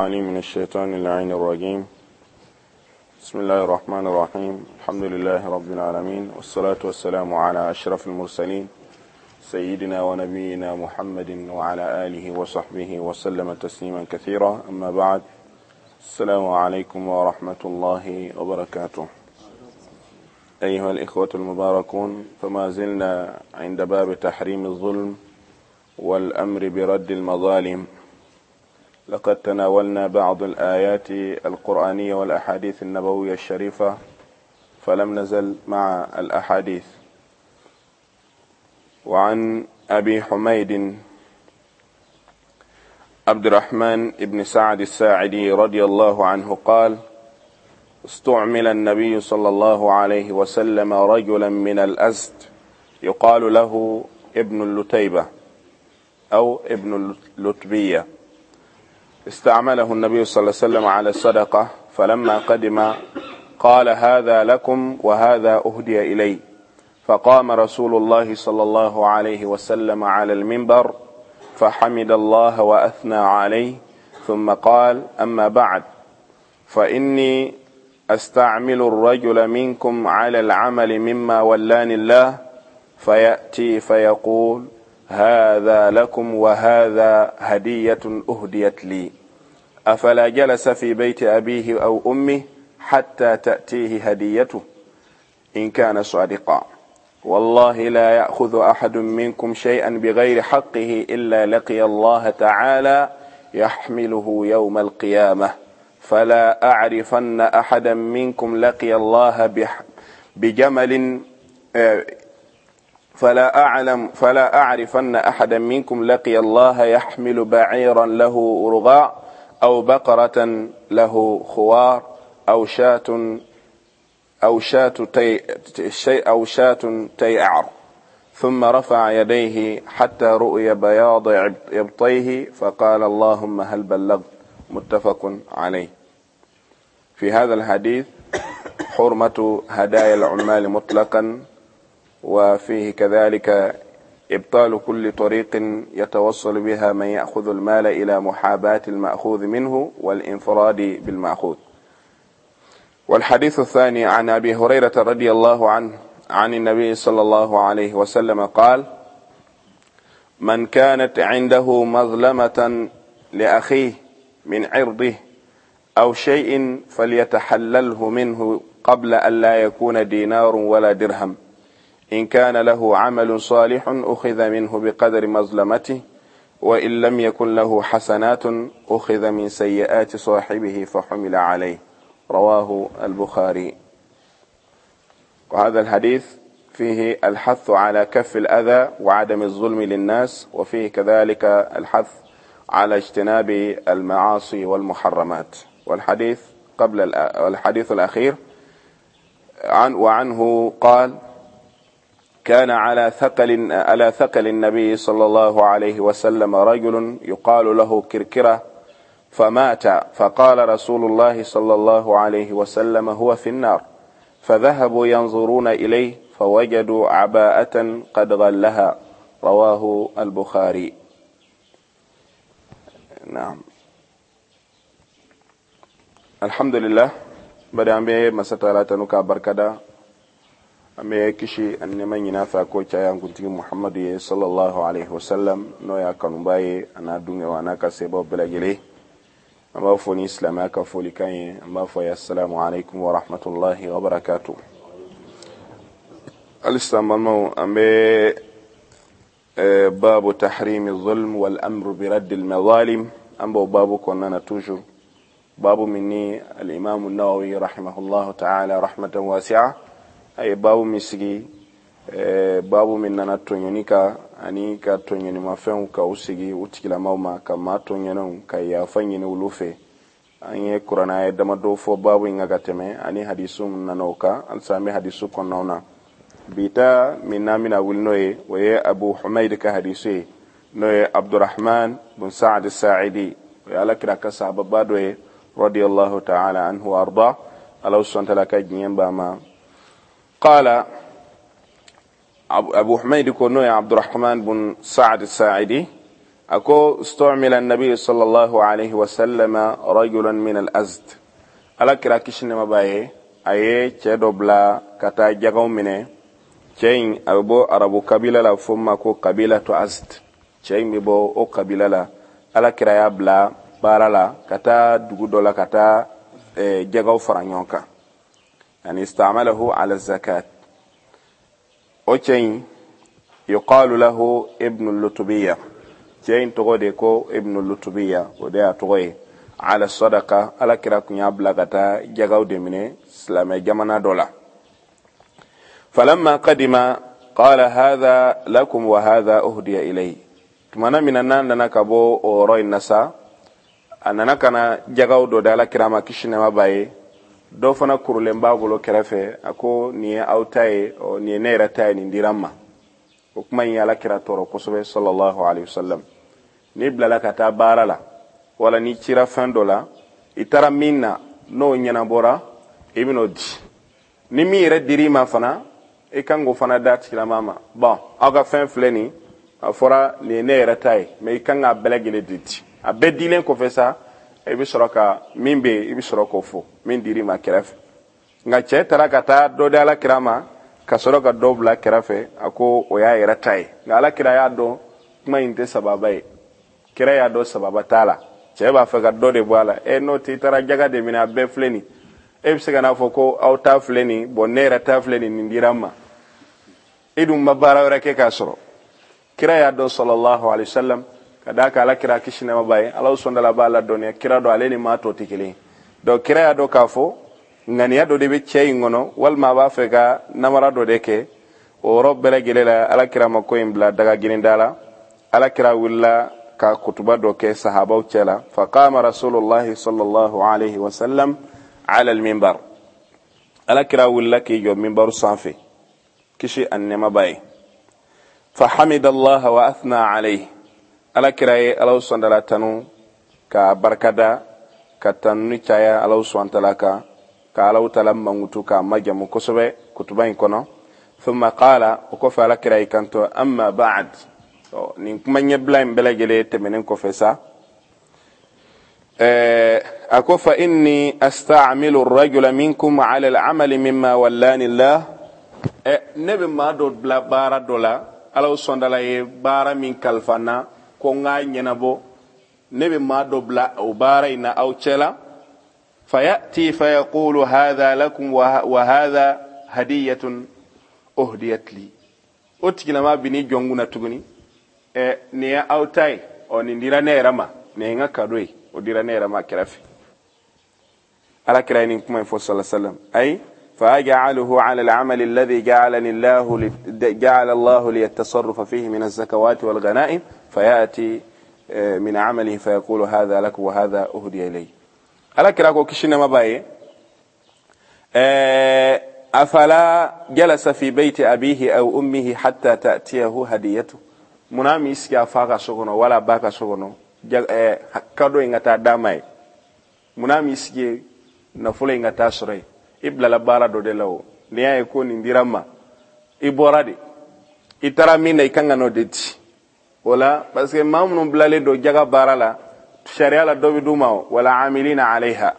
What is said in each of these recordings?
العليم من الشيطان اللعين الرجيم. بسم الله الرحمن الرحيم. الحمد لله رب العالمين، والصلاة والسلام على أشرف المرسلين سيدنا ونبينا محمد وعلى آله وصحبه وسلم تسليما كثيرا. أما بعد، السلام عليكم ورحمة الله وبركاته. أيها الإخوة المباركون، فما زلنا عند باب تحريم الظلم والأمر برد المظالم. لقد تناولنا بعض الآيات القرآنية والأحاديث النبوية الشريفة، فلم نزل مع الأحاديث. وعن أبي حميد عبد الرحمن بن سعد الساعدي رضي الله عنه قال: استعمل النبي صلى الله عليه وسلم رجلا من الأزد يقال له ابن اللتيبة أو ابن اللتبية، استعمله النبي صلى الله عليه وسلم على الصدقة، فلما قدم قال: هذا لكم وهذا أهدي إلي. فقام رسول الله صلى الله عليه وسلم على المنبر فحمد الله وأثنى عليه، ثم قال: أما بعد، فإني أستعمل الرجل منكم على العمل مما ولاني الله، فيأتي فيقول: هذا لكم وهذا هدية أهديت لي، أفلا جلس في بيت أبيه أو أمه حتى تأتيه هديته إن كان صادقا؟ والله لا يأخذ أحد منكم شيئا بغير حقه إلا لقي الله تعالى يحمله يوم القيامة، فلا أعرفن أحدا منكم لقي الله بجمل فلا أعرفن أحدا منكم لقي الله يحمل بعيرا له رغاء أو بقرة له خوار أو شاة تيعر. ثم رفع يديه حتى رؤي بياض إبطيه فقال: اللهم هل بلغت. متفق عليه. في هذا الحديث حرمة هدايا العمال مطلقا، وفيه كذلك إبطال كل طريق يتوصل بها من يأخذ المال إلى محاباة المأخوذ منه والانفراد بالمأخوذ. والحديث الثاني عن أبي هريرة رضي الله عنه عن النبي صلى الله عليه وسلم قال: من كانت عنده مظلمة لأخيه من عرضه أو شيء فليتحلله منه قبل أن لا يكون دينار ولا درهم، إن كان له عمل صالح أخذ منه بقدر مظلمته، وإن لم يكن له حسنات أخذ من سيئات صاحبه فحمل عليه. رواه البخاري. وهذا الحديث فيه الحث على كف الأذى وعدم الظلم للناس، وفيه كذلك الحث على اجتناب المعاصي والمحرمات. والحديث قبل الحديث الأخير وعنه قال: كان على ثقل النبي صلى الله عليه وسلم رجل يقال له كركرة، فمات، فقال رسول الله صلى الله عليه وسلم: هو في النار. فذهبوا ينظرون إليه فوجدوا عباءة قد غلها. رواه البخاري. نعم. الحمد لله. Bari an bɛ masa taala tanu k'a barikada, an bɛ kisi ani nɛɛma ɲini a fɛ a k'o caya an kuntigi Muhamadu ye sallallahu alaihi wasallam, n'o y'a kanuba ye, a n'a dungew a n'a ka sebaw bɛɛ lajɛlen. An b'a fɔ ni silamɛya ka folikan ye, an b'a fɔ ye assalamu alaikum wa rahmatullahi wa barakatuh. Halisa an balimaw, an bɛ babu tahrimi zulm wal amru bi raddi al mazalim, an b'o babu kɔnɔna na toujours, babu min ni al-imam an-Nawawi rahimahullahu ta'ala rahmatan wasi'a a ye babu min sigi, babu min nana tɔɲɔni kan ani ka tɔɲɔnimafɛnw ka u sigi u tigilamaw ma, ka maa tɔɲɔnenw ka yafa ɲini olu fɛ. An ye kuranɛ ye damadɔ fɔ babu in kan ka tɛmɛ, ani hadisu min nana o kan. Halisa an bɛ hadisu kɔnɔnaw na. Bi ta min n'an bɛna wuli n'o ye, o ye Abu Humayd ka hadisu ye, n'o ye Abdurrahman bin Sa'ad Sa'idi, o ye Ala kira ka sahababa dɔ ye radiyallahu ta'ala anhu wa arda, Ala subhanahu wa ta'ala ka diɲɛ b'a ma. Qala Abu Humayd ko, n'o ye Abdurrahman bin Sa'ad Sa'idi, A ko istumila nabi sallallahu alaihi wasallam rajulan min al-azd. Ala kira kisi nɛɛma b'a ye, a ye cɛ dɔ bila ka taa jagaw minɛ. Cɛ in a bɛ bɔ arabu kabila la, fo ma ko kabila to Azd. Cɛ in bɛ bɔ o kabila la. Ala kira y'a bila baara la ka taa dugu dɔ la ka taa jagaw fara ɲɔgɔn kan, yani istamalahu ala zakat. O cɛ in yuqalu lahu Ibnu Lutubiya, cɛ in tɔgɔ de ko Ibnu Lutubiya, o de y'a tɔgɔ ye. Ala sadaka, ala kira kun y'a bila ka taa jagaw de minɛ silamɛ jamana dɔ la. Falamma qadima qala hadha lakum wa hadha uhdiya ilayhi. Tumana min na n'a nana ka bɔ o yɔrɔ in na sa, a nana ka na jagaw dɔ di ala kira ma kisi nɛɛma b'a ye. Dɔ fana kurulen b'a bolo kɛrɛfɛ. A ko nin ye aw ta ye, nin ye ne yɛrɛ ta ye, nin dira n ma. O kuma in ye ala kira tɔɔrɔ kosɛbɛ sallallahu alaihi wasallam. N'i bilala ka taa baara la wala n'i cira fɛn dɔ la, i taara min na n'o ɲɛnabɔra, i bɛn'o di. Ni min yɛrɛ dir'i ma fana, i kan k'o fana d'a tigilama ma. Bon, aw ka fɛn filɛ nin, a fɔra nin ye ne yɛrɛ ta ye, mais i kan k'a bɛɛ lajɛlen de di. A bɛɛ dilen kɔfɛ sa, i bɛ sɔrɔ ka min bɛ yen, i bɛ sɔrɔ k'o fɔ min dir'i ma kɛrɛfɛ. Nka cɛ taara ka taa dɔ di ala kira ma ka sɔrɔ ka dɔ bila kɛrɛfɛ, a ko o y'a yɛrɛ ta ye. Nka ala kira y'a dɔn kuma in tɛ sababa ye. Kira y'a dɔn sababa t'a la, cɛ b'a fɛ ka dɔ de bɔ a la. E n'o tɛ, i taara jaga de minɛ, a bɛɛ filɛ nin, e bɛ se ka n'a fɔ ko aw ta filɛ nin, bon ne yɛrɛ ta filɛ nin, nin dira n ma, e dun ma baara wɛrɛ kɛ k'a sɔrɔ. Kira y'a dɔn sallallahu alaihi wasallam, ka d'a kan ala kira kisi nɛɛma b'a ye, Ala sɔndala b'a ladɔnniya kira dɔ ale ni maa tɔ tɛ kelen ye. Donc kira y'a dɔn k'a fɔ ŋaniya dɔ de bɛ cɛ in kɔnɔ, walima a b'a fɛ ka namara dɔ de kɛ. O yɔrɔ bɛɛ lajɛlen la, ala kira ma ko in bila daga girinda la. Ala kira wulila ka kutuba dɔ kɛ sahabaw cɛ la. Faqama rasulullahi sallallahu alaihi wasallam ala alminbar. Ala kira wulila k'i jɔ minbaru sanfɛ kisi ani nɛɛma b'a ye. Fahamida Allah wa athna alayhi. Ala kira ye Ala sɔndala tanu ka barikada ka tanuni caya Ala sɔntala kan, ka Ala tala mankutu k'a majamu kosɛbɛ kutuba in kɔnɔ. Thumma qala, o kɔfɛ ala kira y'i kanto amma ba'd. Nin kuma ɲɛbila in bɛɛ lajɛlen tɛmɛnen kɔfɛ sa, a ko fa inni asta'milu ar-rajula minkum ala al-amali mimma wallani Allah. Ne bɛ maa dɔ bila baara dɔ la, Ala sɔndala ye baara min kalifa n na ko n k'a ɲɛnabɔ, ne bɛ maa dɔ bila o baara in na aw cɛ la. Fayati fayaqulu hadha lakum wa hadha hadiyatun uhdiyat li. O tigilama bi n'i jɔ n kunna tuguni, nin ye aw ta ye, ɔ nin dira ne yɛrɛ ma, nin ye n ka kado ye, o dira ne yɛrɛ ma kɛrɛfɛ. Ala kira ye nin kuma in fɔ sallallahu alaihi wasallam. Ayi فأجعله على العمل الذي جعلني الله جعل الله لي التصرف فيه من الزكوات والغنائم، فيأتي من عمله فيقول هذا لك وهذا أهدي إلي. ala kira ko kisi nɛɛma b'a ye, afala jalasa fi beyti abihi aw ummihi hatta ta'tiyahu hadiyatu. Munna m'i sigi a fa ka so kɔnɔ wala ba ka so kɔnɔ kado in ka taa d'a ma ye? Munna m'i sigi nafolo in ka taa sɔrɔ yen? I bilala baara dɔ de la. O n'i y'a ye ko nin dira n ma, i bɔra de, i taara min na, i kan ka n'o de di o la, parce que maa minnu bilalen don jaga baara la sariya la, dɔ bɛ d'u ma. Wala amilina alayha,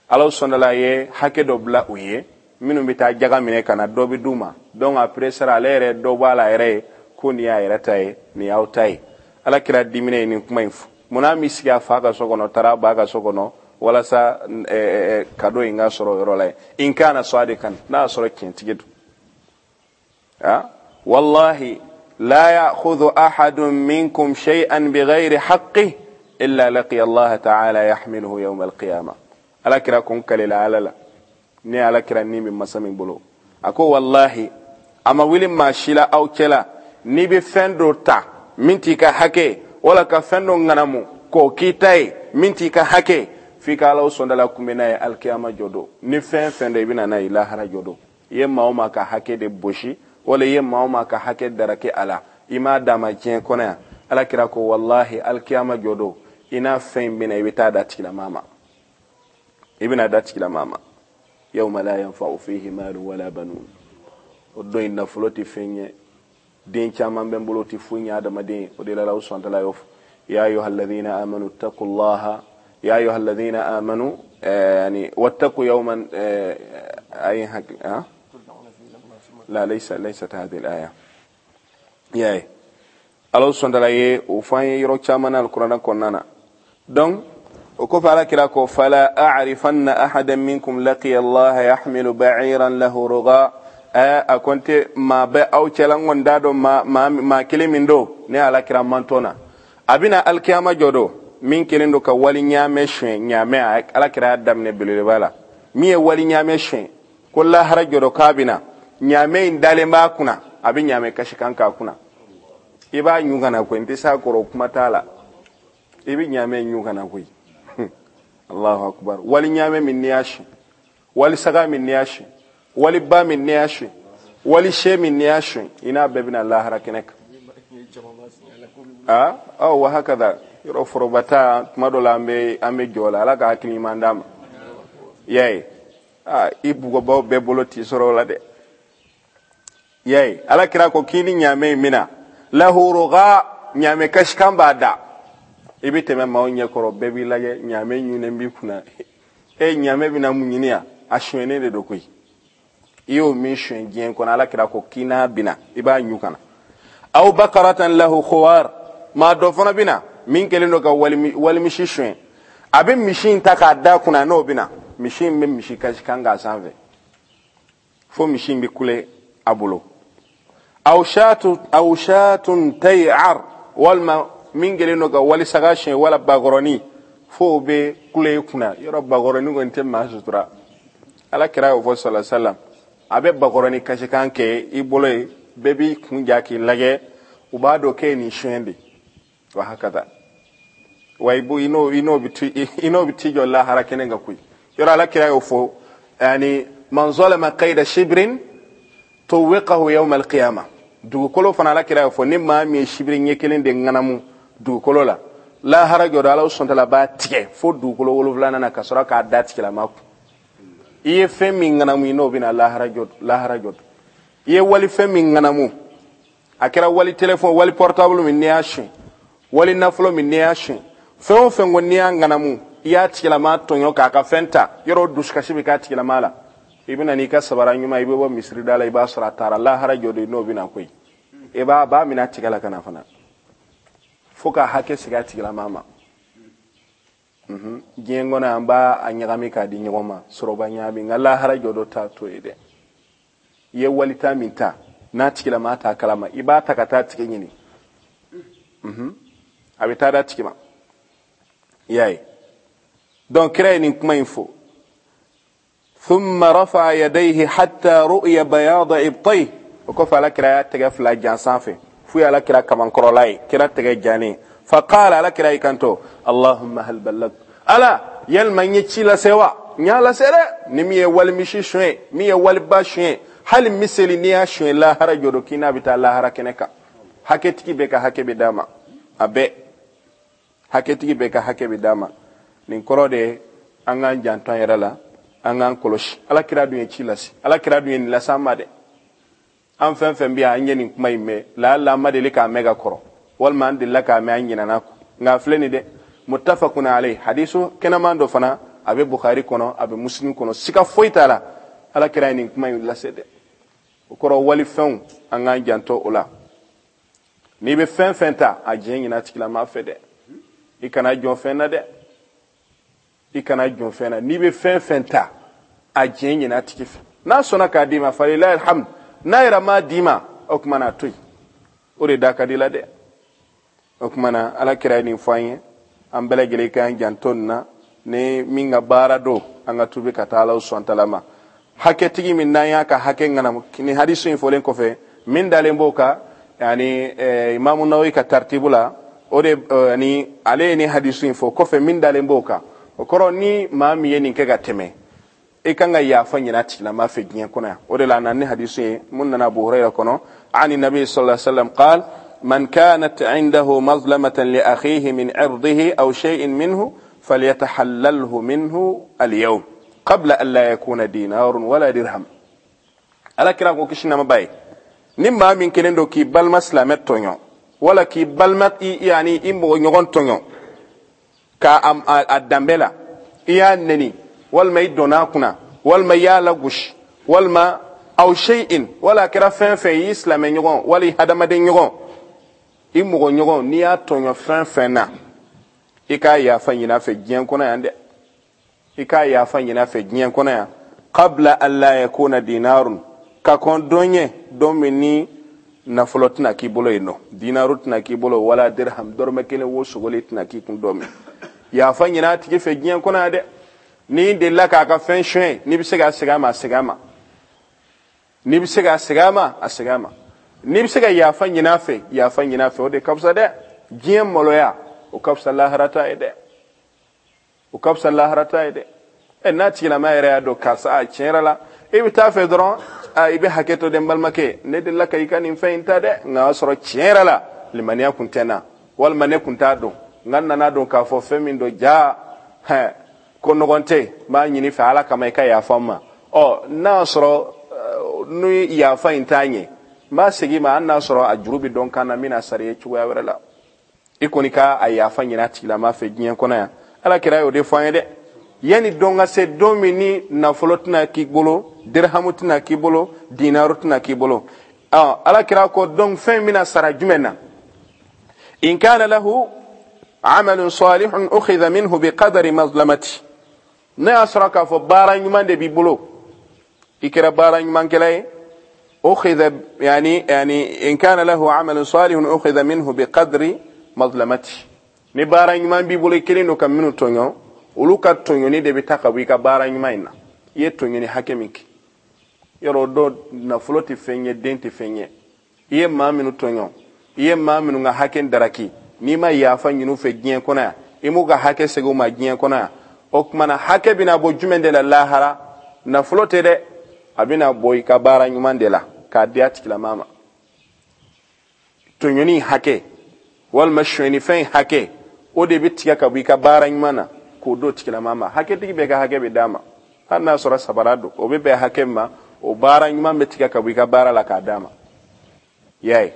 Ala sɔndala ye hakɛ dɔ bila u ye, minnu bɛ taa jaga minɛ ka na, dɔ bɛ d'u ma. Donc après sara, ale yɛrɛ dɔ b'a la yɛrɛ ye ko nin y'a yɛrɛ ta ye, nin y'aw ta ye. Ala kira diminen ye nin kuma in fɔ. Munna m'i sigi a fa ka so kɔnɔ, taara ba ka so kɔnɔ, walasa kado in ka sɔrɔ o yɔrɔ la yen? In kana sadikan, n'a y'a sɔrɔ tiɲɛtigi don. Wallahi la ya'khudhu ahadun minkum shay'an bighayri haqqihi illa laqiya Allah ta'ala yahmiluhu yawm al-qiyamah. Ala kira kun kalila ala la, ne ala kira ni bɛ masa min bolo, a ko wallahi a ma wuli maa si la aw cɛla, n'i bɛ fɛn dɔ ta min t'i ka hakɛ, wala ka fɛn dɔ ŋanamu k'o k'i ta ye min t'i ka hakɛ, f'i ka Ala sɔndala kunbɛn n'a ye alikiyama jɔ don. Ni fɛn fɛn dɔ i bɛ na n'a ye lahara jɔ don, i ye maa o maa ka hakɛ de bosi, wala i ye maa o maa ka hakɛ daraki a la, i m'a d'a ma diɲɛ kɔnɔ yan, ala kira ko wallahi alikiyama jɔ don, i n'a fɛn in bɛna, i bɛ taa d'a tigilamaa ma, i bɛna d'a tigilamaa ma. Yawma la yanfa'u fihi malu wala banun. O don in nafolo tɛ fɛn ɲɛ, den caman bɛ n bolo tɛ foyi ɲɛ adamaden. O de la Ala sɔntala y'o fɔ. Ya ayuha alladhina amanu ittaqullaha ya ayuha alladhina amanu yani wattaqu yawman ay ha la laysa laysat hadhihi al-aya ya Ala subhanahu wa ta'ala ye o fɔ an ye yɔrɔ caman na alikuranɛ kɔnɔna na. Donc o kɔfɛ Ala kira ko fala a'rifanna ahadan minkum laqiya Allah yahmilu ba'iran lahu ruga. A ko n tɛ maa bɛ aw cɛla, n kɔni t'a dɔn maa kelen min don ne Ala kira mantɔn na, a bɛna alikiyama jɔ don min kelen don ka wali ɲaamɛ suɲɛ. Ɲaamɛ Ala kira y'a daminɛ belebeleba la, min ye wali ɲaamɛ suɲɛ ko lahara jɔ don k'a bɛna ɲaamɛ in dalen b'a kunna, a bɛ ɲaamɛ kasikan k'a kunna. I b'a ɲun ka na koyi, n tɛ s'a kɔrɔ, kuma t'a la, i bɛ ɲaamɛ ɲun ka na koyi. Allahu akbar. Wali ɲaamɛ min n'i y'a suɲɛ, wali saga min n'i y'a suɲɛ, wali ba min n'i y'a suɲɛ, wali sɛ min n'i y'a suɲɛ, i n'a bɛɛ bɛna lahara kɛnɛ kan. Aa aw wa hakada yɔrɔ forobata tuma dɔ la an bɛ jɔ la, Ala ka hakili ɲuman d'an ma. Y'a ye aa i bugɔbaw bɛɛ bolo t'i sɔrɔ o la dɛ. Y'a ye Ala kira ko k'i ni ɲaamɛ in mina lahu ruga, ɲaamɛ kasikan b'a da, i bɛ tɛmɛ maaw ɲɛkɔrɔ, bɛɛ b'i lajɛ, ɲaamɛ ɲunnen b'i kunna. E ɲaamɛ bɛna mun ɲini yan? A suɲɛnen de don koyi. I y'o min suɲɛ diɲɛ kɔnɔ, Ala kira ko k'i n'a bina, i b'a ɲu ka na. Aw bakaratan lahu khuwar, maa dɔ fana bina min kɛlen don ka walimisi suɲɛ, a bɛ misi in ta k'a da kunna, n'o bina misi in bɛ misi kasikan k'a sanfɛ fo misi in bɛ kule a bolo. Aw shatun tay'ar, walima min kɛlen don ka walisaga suɲɛ wala bakɔrɔni fo o bɛ kule kunna. Yɔrɔ bakɔrɔni kɔni tɛ maa sutura, Ala kira y'o fɔ sallallahu alaihi wasallam. A bɛ bakɔrɔni kasikan kɛ i bolo ye, bɛɛ b'i kun ja k'i lajɛ, u b'a dɔn k'e ye nin suɲɛ de. Wa hakada wa i n'o bɛ t'i jɔ lahara kɛnɛ kan koyi. Yɔrɔ Ala kira y'o fɔ, yani man zalama qayda shibrin tuwiqahu yawm al-qiyamah. Dugukolo fana Ala kira y'o fɔ, ni maa min ye sibiri ɲɛ kelen de ŋanamu dugukolo la, lahara jɔ don Ala subhanahu wa ta'ala b'a tigɛ fo dugukolo wolonwulanan na ka sɔrɔ k'a da tigilama kun. I ye fɛn min ŋanamu i n'o bɛna lahara jɔ. I ye wali fɛn min ŋanamu, a kɛra wali téléphone, wali portable min n'i y'a suɲɛ, wali nafolo min n'i y'a suɲɛ, fɛn o fɛn ko n'i y'a ŋanamu, i y'a tigilama tɔɲɔ k'a ka fɛn ta, yɔrɔ dusukasi bɛ k'a tigilama la, i bɛna n'i ka sabara ɲuman, i bɛ bɔ misiri da la, i b'a sɔrɔ a taara lahara jɔ don n'o bɛna koyi. I b'a b'a minɛ a tigɛ la ka na fana fo ka hakɛ sigi a tigilama ma. Diɲɛ kɔnɔ an b'a a ɲagami k'a di ɲɔgɔn ma, sɔrɔba ɲagami, nka lahara jɔ dɔ t'a to ye dɛ. I ye walita min ta n'a tigilama t'a kalama, i b'a ta ka taa tigi ɲini, a bɛ taa d'a tigi ma. I y'a ye donc kira ye nin kuma in fɔ. Thumma rafa'a yadayhi hatta ru'ya bayada ibtayhi. O kɔfɛ Ala kira y'a tɛgɛ fila jan sanfɛ f'u ye Ala kira kamankɔrɔla ye, kira tɛgɛ jannen. Fa qala, Ala kira y'i kanto, Allahumma hal ballag, Ala yalima n ye ci lase wa? N y'a lase dɛ. Ni min ye walimisi suɲɛ, min ye waliba suɲɛ, hali miseli n'i y'a suɲɛ lahara jɔ don k'i n'a bɛ taa lahara kɛnɛ kan. Hakɛtigi bɛɛ ka hakɛ bɛ d'a ma, a bɛɛ hakɛtigi bɛɛ ka hakɛ bɛ d'a ma. Nin kɔrɔ de ye an k'an janto an yɛrɛ la, an k'an kɔlɔsi. Ala kira dun ye ci lase, Ala kira dun ye nin lase an ma dɛ. An fɛn fɛn bɛ yan, an ye nin kuma in mɛn, laala an ma deli k'a mɛn ka kɔrɔ, walima an delila k'a mɛn an ɲinɛna kɔ, nka a filɛ nin dɛ, muttafaqun alayhi, hadisu kɛnɛman dɔ fana a bɛ Bukhari kɔnɔ, a bɛ Muslim kɔnɔ, siga foyi t'a la, Ala kira ye nin kuma in lase dɛ. O kɔrɔ walifɛnw an k'an janto o la. N'i bɛ fɛn fɛn ta, a diɲɛ ɲin'a tigilama fɛ dɛ, i kana jɔn fɛn na dɛ, i kana jɔn fɛn na. N'i bɛ fɛn fɛn ta, a diɲɛ ɲin'a tigi fɛ. N'a sɔnna k'a d'i ma, falilahi alhamdu, n'a yɛrɛ m'a d'i ma, o tuma na a to yen, o de da ka di la dɛ. O tuma na Ala kira ye nin fɔ an ye, an bɛɛ lajɛlen k'an janto nin na. Ni min ka baara don, an ka tubi ka taa Ala subhanahu wa ta'ala ma. Hakɛtigi min n'an y'a ka hakɛ ŋanamu, ni hadisu in fɔlen kɔfɛ, min dalen b'o kan, yani Imamu Nawawi ka tartibu la, o de yani ale ye ni hadisu in fɔ kɔfɛ, min dalen b'o kan, o kɔrɔ ni maa min ye nin kɛ ka tɛmɛ, i kan ka yafa ɲini a tigilama fɛ diɲɛ kɔnɔ yan. O de la a nana ni hadisu ye mun nana Abu Huraira kɔnɔ, ani nabi sallallahu alaihi wasallam qal man kanat indahu mazlamatan li akhihi min irdihi aw shay'in minhu falyatahallalhu minhu al-yawm qabla an la yakuna dinarun wala dirham. Ala kira ko kisi nama ba ye, ni maa min kelen don k'i balima silamɛ tɔɲɔ, Wala k'i balima, yani i mɔgɔ ɲɔgɔn tɔɲɔ ka a danbe la, i y'a neni, walima i donna a kunna, walima i y'a lagosi, walima aw shay'in, wala a kɛra fɛn fɛn ye, i silamɛ ɲɔgɔn wala i hadamaden ɲɔgɔn, i mɔgɔ ɲɔgɔn, n'i y'a tɔɲɔ fɛn fɛn na, i k'a yafa ɲini a fɛ diɲɛ kɔnɔ yan dɛ. I k'a yafa ɲini a fɛ diɲɛ kɔnɔ yan, qabla an la yakuna dinarun, ka kɔn don ɲɛ, don min ni nafolo tɛna k'i bolo yen nɔ, dinaru tɛna k'i bolo, wala dirham, dɔrɔmɛ kelen wo sogoli tɛna k'i kun don min. Yafa ɲini a tigi fɛ diɲɛ kɔnɔ yan dɛ. N'i delila k'a ka fɛn suɲɛ, n'i bɛ se k'a segin a ma, a segin a ma. N'i bɛ se k'a segin a ma, a segin a ma. N'i bɛ se ka yafa ɲini a fɛ, yafa ɲini a fɛ, o de ka fisa dɛ. Diɲɛ maloya, o ka fisa lahara ta ye dɛ. O ka fisa lahara ta ye dɛ. Ɛ, n'a tigilama yɛrɛ y'a dɔn karisa, a tiɲɛ yɛrɛ la, i bɛ taa fɛ dɔrɔn, a i bɛ hakɛ to dɛ, n balimakɛ, ne delila ka i ka nin fɛn in ta dɛ, nka o y'a sɔrɔ tiɲɛ yɛrɛ la limaniya kun tɛ n na, walima ne kun t'a dɔn, nka n nana dɔn k'a fɔ fɛn min don, ja hɛn ko nɔgɔn tɛ, n b'a ɲini fɛ Ala kama i ka yafa n ma. Ɔ, n'a y'a sɔrɔ ni yafa in t'a ɲɛ, n b'a segin i ma, hali n'a sɔrɔ a juru bɛ dɔn kan na, n bɛna sara i ye cogoya wɛrɛ la. I kɔni ka a yafa ɲini a tigilama fɛ diɲɛ kɔnɔ yan. Ala kira y'o de fɔ an ye dɛ. Yanni don ka se, don min ni nafolo tɛna k'i bolo, dirhamu tɛna k'i bolo, dinaru tɛna k'i bolo. Ala kira ko donc fɛn bɛna sara jumɛn na? In kana lahu amalun salihun ukhidha minhu biqadari mazlamati. N'a y'a sɔrɔ k'a fɔ baara ɲuman de b'i bolo, i kɛra baara ɲumankɛla ye, ukhidha, yani in kana lahu amalun salihun ukhidha minhu biqadri mazlamati. Ni baara ɲuman b'i bolo, i kelen don ka minnu tɔɲɔ, olu ka tɔɲɔni de bɛ ta ka bɔ i ka baara ɲuman in na. I ye tɔɲɔni hakɛ min kɛ, yɔrɔ dɔ nafolo tɛ fɛn ye, den tɛ fɛn ye. I ye maa minnu tɔɲɔ, i ye maa minnu ka hakɛ daraki, n'i ma yafa ɲini u fɛ diɲɛ kɔnɔ yan, i m'u ka hakɛ segin u ma diɲɛ kɔnɔ yan, o tuma na hakɛ bɛna bɔ jumɛn de la lahara? Nafolo tɛ dɛ, a bɛna bɔ i ka baara ɲuman de la k'a di a tigilamaa ma. Tɔɲɔni hakɛ walima sonyɛnifɛn hakɛ, o de bɛ tigɛ ka bɔ i ka baara ɲuman na k'o d'o tigilamaa ma. Hakɛtigi bɛɛ ka hakɛ bɛ d'a ma, hali n'a sɔrɔ sabara don, o bɛ bɛn hakɛ min ma, o baara ɲuman bɛ tigɛ ka bɔ i ka baara la k'a d'a ma. I y'a ye,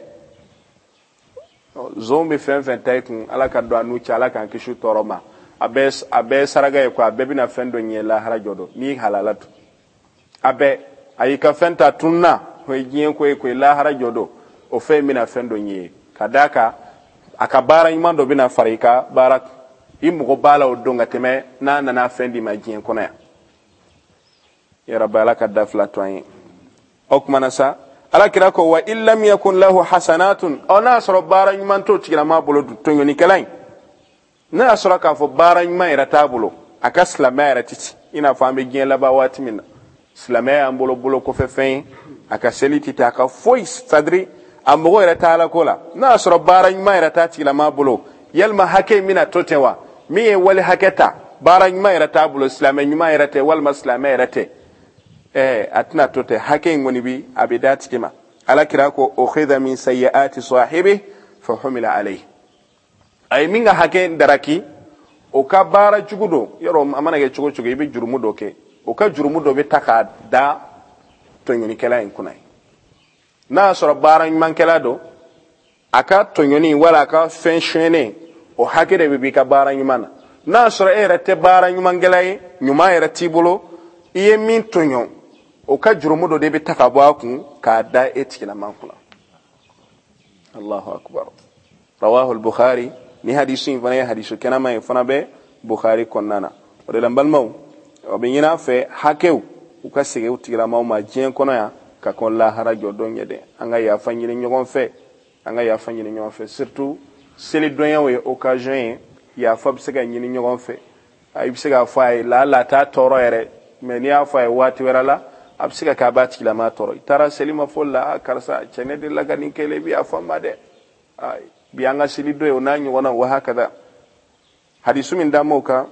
zon bɛ fɛn fɛn ta i kun, Ala ka don a n'u cɛ, Ala k'an kisi tɔɔrɔ ma. A bɛɛ saraka ye ko a bɛɛ bɛna fɛn dɔ ɲɛ lahara jɔ don n'i halala tun. A bɛɛ, a y'i ka fɛn ta tununa, o ye diɲɛ ko ye koyi, lahara jɔ don o fɛn in bɛna fɛn dɔ ɲɛ ye, ka d'a kan a ka baara ɲuman dɔ bɛna fara i ka baara kan. I mago b'a la o don ka tɛmɛ n'a nana fɛn d'i ma diɲɛ kɔnɔ yan. Ya Rabbi, Ala ka da fila to an ye. O tuma na sa, Ala kira ko wa in lam yakun lahu hasanatun, ɔ n'a sɔrɔ baara ɲuman t'o tigilama bolo, tɔɲɔnikɛla in, n'a y'a sɔrɔ k'a fɔ baara ɲuman yɛrɛ t'a bolo, a ka silamɛya yɛrɛ tɛ ci, i n'a fɔ an bɛ diɲɛ laban waati min na, silamɛya y'an bolo bolo kɔfɛ fɛn ye, a ka seli tɛ taa, a ka foyi, c'est-à-dire a mago yɛrɛ t'a la ko la. N'a y'a sɔrɔ baara ɲuman yɛrɛ t'a tigilama bolo, yalima hakɛ in bɛna to ten wa? Min ye wali hakɛ ta, baara ɲuman yɛrɛ t'a bolo, silamɛ ɲuman yɛrɛ tɛ, walima silamɛ yɛrɛ tɛ, a tɛna to ten, hakɛ in kɔni bi a bɛ d'a tigi ma. Ala kira ko ukhidha min sayyi'ati sahibi fa humila alayhi. A ye min ka hakɛ daraki, o ka baara jugu don, yɔrɔ a mana kɛ cogo cogo, i bɛ jurumu dɔ kɛ, o ka jurumu dɔ bɛ ta k'a da tɔɲɔnikɛla in kunna ye. N'a y'a sɔrɔ baara ɲumankɛla don, a ka tɔɲɔni wala a ka fɛn sonyɛnen, o hakɛ de bɛ b'i ka baara ɲuman na. N'a y'a sɔrɔ e yɛrɛ tɛ baara ɲumankɛla ye, ɲuman yɛrɛ t'i bolo, i ye min tɔɲɔ, o ka jurumu dɔ de bɛ ta ka bɔ a kun k'a da e tigilama kunna. Allahu akbar. Rawahu al-Bukhari. Ni hadisu in fana ye hadisu kɛnɛma ye, fana bɛ Bukhari kɔnɔna na. O de la n balimaw, o bɛ ɲini an fɛ hakɛw u ka segin u tigilamaw ma diɲɛ kɔnɔ yan ka kɔn lahara jɔ don ɲɛ dɛ. An ka yafa ɲini ɲɔgɔn fɛ, an ka yafa ɲini ɲɔgɔn fɛ, surtout selidonyaw ye occasion ye, yafa bɛ se ka ɲini ɲɔgɔn fɛ. I bɛ se k'a fɔ a ye laala a t'a tɔɔrɔ yɛrɛ, mais n'i y'a fɔ a ye waati wɛrɛ la, a bɛ se ka kɛ a b'a tigilama tɔɔrɔ. I taara seli ma fɔ la, karisa cɛ ne delila ka nin kɛ, i bɛ yafa n ma dɛ. Bi an ka seli dɔ ye o n'a ɲɔgɔnna wa hakada. Hadisu min d'an m'o kan,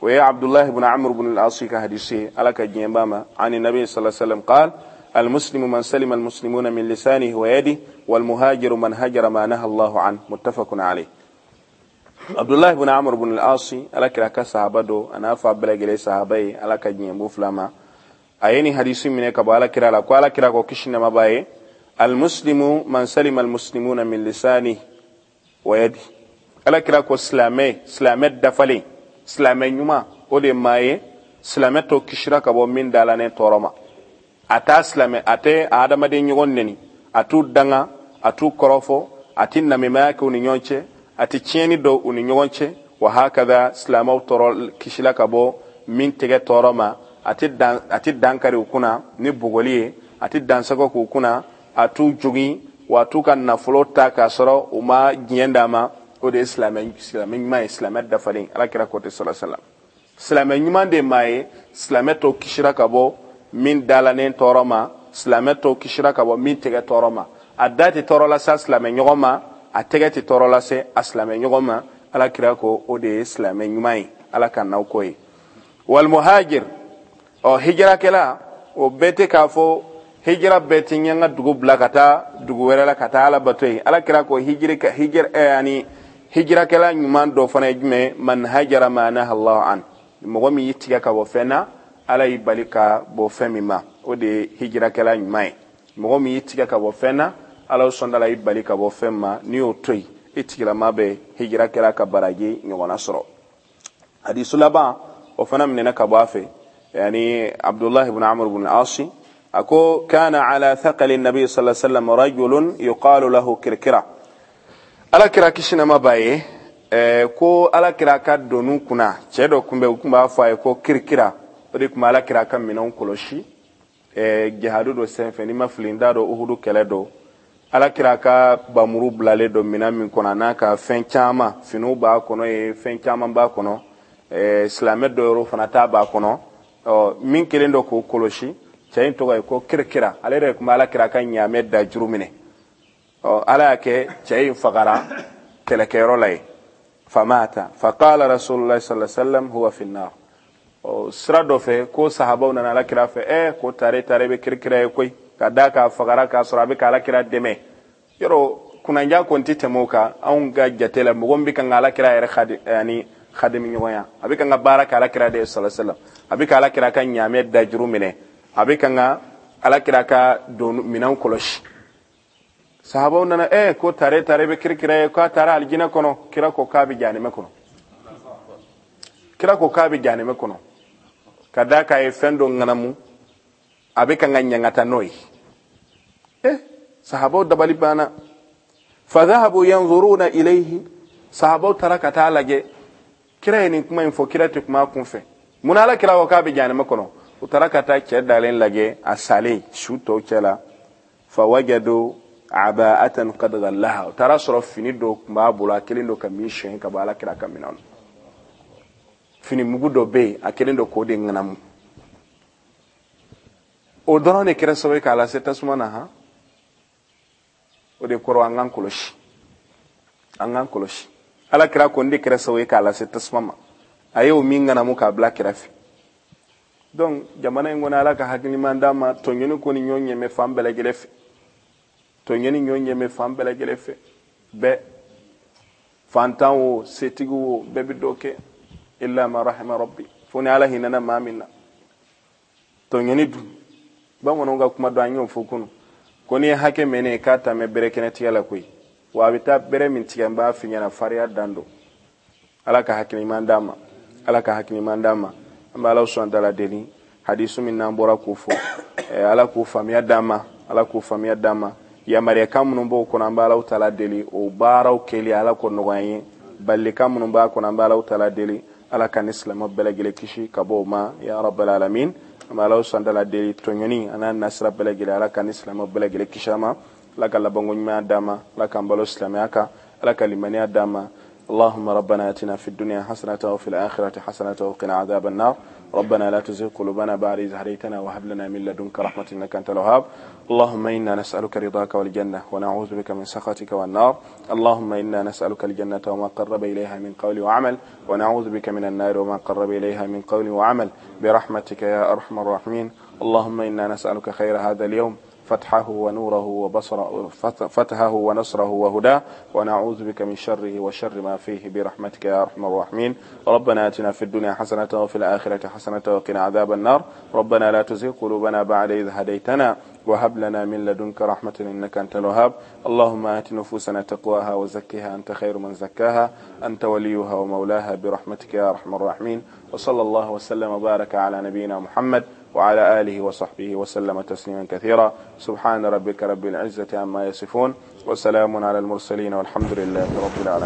o ye Abdullah ibn Amr ibn al-As ka hadisu ye, Ala ka diɲɛ b'a ma. Ani Nabi sallallahu alaihi wasallam qal المسلم من سلم المسلمون من لسانه ويده والمهاجر من هجر ما نهى الله عنه متفق عليه. عبد الله بن عمرو بن العاص على كلا كصحابة دو أنا فابلغ صحابي على كجين بوفلاما أيني حديث من كبا على كلا لا على كلا كشنا ما باي المسلم من سلم المسلمون من لسانه Wa yadi. Ala kira ko silamɛ, silamɛ dafalen, silamɛ ɲuman, o de maa ye silamɛ tɔ kisira ka bɔ min dalanen tɔɔrɔ ma. A t'a silamɛ, a tɛ a adamaden ɲɔgɔn neni, a t'u danga, a t'u kɔrɔfɔ, a tɛ namimaya kɛ u ni ɲɔgɔn cɛ, a tɛ tiɲɛni don u ni ɲɔgɔn cɛ. Wa hakada silamɛw tɔɔrɔ kisila ka bɔ min tɛgɛ tɔɔrɔ ma, a tɛ dankari u kunna ni bugɔli ye, a tɛ dansagɔ k'u kunna, a t'u jogin, wa a t'u ka nafolo ta k'a sɔrɔ u ma diɲɛ d'a ma. O de ye silamɛ ɲuman ye, silamɛ dafalen. Ala kira ko ten sallallahu alaihi wasallam. Silamɛ ɲuman de maa ye silamɛ tɔ kisira ka bɔ min dalanen tɔɔrɔ ma, silamɛ tɔ kisira ka bɔ min tɛgɛ tɔɔrɔ ma. A da tɛ tɔɔrɔ lase a silamɛ ɲɔgɔn ma, a tɛgɛ tɛ tɔɔrɔ lase a silamɛ ɲɔgɔn ma. Ala kira ko o de ye silamɛ ɲuman ye. Ala ka n'aw ko ye. Wal muhajir, ɔ hijirakɛla, o bɛɛ tɛ k'a fɔ hijira bɛɛ tɛ n ka dugu bila ka taa dugu wɛrɛ la ka taa Ala bato yen. Ala kira ko yani hijirakɛla ɲuman dɔ fana ye jumɛn? Man hajara ma naha Allahu an, mɔgɔ min y'i tigɛ ka bɔ fɛn na, Ala y'i bali ka bɔ fɛn min ma, o de ye hijirakɛla ɲuman ye. Mɔgɔ min y'i tigɛ ka bɔ fɛn na, Ala sɔnda y'i bali ka bɔ fɛn ma, n'i y'o to yen, i tigilama bɛ hijirakɛla ka baraji ɲɔgɔnna sɔrɔ. Hadisu laban o fana minɛna ka bɔ a fɛ, yani Abdullah ibn Amr ibn al-As ako kana ala thaqali nabi sallallahu alaihi wasallam rajulun yuqalu lahu kirkira. Ala kira kisi nama b'a ye, ko ala kira ka donu kunna cɛ dɔ kun bɛ, u kun b'a fɔ a ye ko kirkira. O de kun bɛ ala kira ka minɛnw kɔlɔsi jihadu dɔ senfɛ, n'i ma fili n t'a dɔn Uhudu kɛlɛ dɔ. Ala kira ka bamuru bilalen dɔ minɛn min kɔnɔ, a n'a ka fɛn caman, finiw b'a kɔnɔ ye, fɛn caman b'a kɔnɔ, silamɛ dɔ yɔrɔ fana ta b'a kɔnɔ. Ɔ min kelen dɔ k'o kɔlɔsi, cɛ in tɔgɔ ye ko kirkira. Ale yɛrɛ kun bɛ ala kira ka ɲaamɛ da juru minɛ. Ɔ ala y'a kɛ cɛ in fagara kɛlɛkɛyɔrɔ la yen. Famata faqala rasulullah sallallahu alaihi wasallam huwa fi nnar. Ɔ sira dɔ fɛ ko sahabaw nana ala kira fɛ, ko tare tare bɛ kirkira ye koyi, ka d'a kan fagara k'a sɔrɔ a bɛ ka ala kira dɛmɛ. Yɔrɔ kunnanja kɔni tɛ tɛmɛ o kan anw ka jate la. Mɔgɔ min bɛ kan ka ala kira yɛrɛ yani khadimi ɲɔgɔnya, a bɛ kan ka baara kɛ ala kira de ye sallallahu alaihi wasallam, a bɛ ka ala kira ka ɲaamɛ dajuru minɛ, a bɛ kan ka ala kira ka don minɛnw kɔlɔsi. Sahabaw nana, ko tare tare bɛ kirkira ye, k'a taara alijinɛ kɔnɔ. Kira ko k'a bɛ jahanama kɔnɔ. Kira ko k'a bɛ jahanama kɔnɔ, ka d'a kan a ye fɛn dɔ ŋanamu, a bɛ kan ka ɲangata n'o ye. Sahabaw dabali banna. Fa dhahabu yanzuruna ilayhi, sahabaw taara ka taa lajɛ. Kira ye nin kuma in fɔ, kira tɛ kuma a kun fɛ. Munna ala kira ko k'a bɛ jahanama kɔnɔ? U taara ka taa cɛ dalen lajɛ, a salen su tɔw cɛ la. Fa wajadu aba'atan qad ghallaha, u taara sɔrɔ fini dɔ tun b'a bolo, a kelen don ka min siyɛn ka bɔ ala kira ka minɛn na. Fini mugu dɔ bɛ yen, a kelen don k'o de ŋanamu. O dɔrɔn de kɛra sababu ye k'a lase tasuma na. Han, o de kɔrɔ an k'an kɔlɔsi, an k'an kɔlɔsi. Ala kira ko n de kɛra sababu ye k'a lase tasuma ma, a y'o min ŋanamu k'a bila kɛrɛfɛ. Donc jamana in kɔnɔ, ala ka hakiliman d'an ma. Tɔɲɔni ko ni ɲɔgɔn ɲɛmɛ fan bɛɛ lajɛlen fɛ, tɔɲɔni ɲɔgɔn ɲɛmɛ fan bɛɛ lajɛlen fɛ. Bɛɛ, fantan wo, setigi wo, bɛɛ bɛ dɔ kɛ, illa ma rahima rabbi, fo ni ala hinɛna maa min na. Tɔɲɔni dun, bamananw ka kuma dɔn, an y'o fɔ kunun, ko n'i ye hakɛ mɛn ne ye k'a ta mɛn bɛrɛ kɛnɛ tigɛ la koyi, wa a bɛ taa bɛrɛ min tigɛ, n b'a f'i ɲɛna, fariya dan don. Ala ka hakiliman d'an ma, ala ka hakiliman d'an ma. An bɛ Ala subhanahu wa ta'ala deli, hadisu min n'an bɔra k'o fɔ, ala k'o faamuya d'an ma, ala k'o faamuya d'an ma. Yamariyakan minnu b'o kɔnɔ, an bɛ Ala ta'ala deli o baaraw kɛli ala k'o nɔgɔya an ye. Balilikan minnu b'a kɔnɔ, an bɛ Ala ta'ala deli ala ka ni silamɛ bɛɛ lajɛlen kisi ka bɔ o ma, ya rabbal alamin. An bɛ Ala subhanahu wa ta'ala deli tɔɲɔni a n'a nasira bɛɛ lajɛlen, ala ka ni silamɛ bɛɛ lajɛlen kisi a ma. Ala ka labanko ɲuman d'an ma, ala k'an balo silamɛya kan, ala ka limaniya d'an ma. اللهم ربنا اتنا في الدنيا حسنة وفي الآخرة حسنة وقنا عذاب النار. ربنا لا تزغ قلوبنا بعد إذ هديتنا وهب لنا من لدنك رحمة إنك أنت الوهاب. اللهم إنا نسألك رضاك والجنة ونعوذ بك من سخطك والنار. اللهم إنا نسألك الجنة وما قرب إليها من قول وعمل، ونعوذ بك من النار وما قرب إليها من قول وعمل، برحمتك يا أرحم الراحمين. اللهم إنا نسألك خير هذا اليوم فتحه ونوره وبصره فتحه ونصره وهداه، ونعوذ بك من شره وشر ما فيه برحمتك يا أرحم الراحمين. ربنا آتنا في الدنيا حسنة وفي الآخرة حسنة وقنا عذاب النار. ربنا لا تزغ قلوبنا بعد إذ هديتنا وهب لنا من لدنك رحمة إنك أنت الوهاب. اللهم آت نفوسنا تقواها وزكها أنت خير من زكاها، أنت وليها ومولاها برحمتك يا أرحم الراحمين. وصلى الله وسلم وبارك على نبينا محمد وعلى آله وصحبه وسلم تسليما كثيرا. سبحان ربك رب العزة عما يصفون، وسلام على المرسلين، والحمد لله رب العالمين.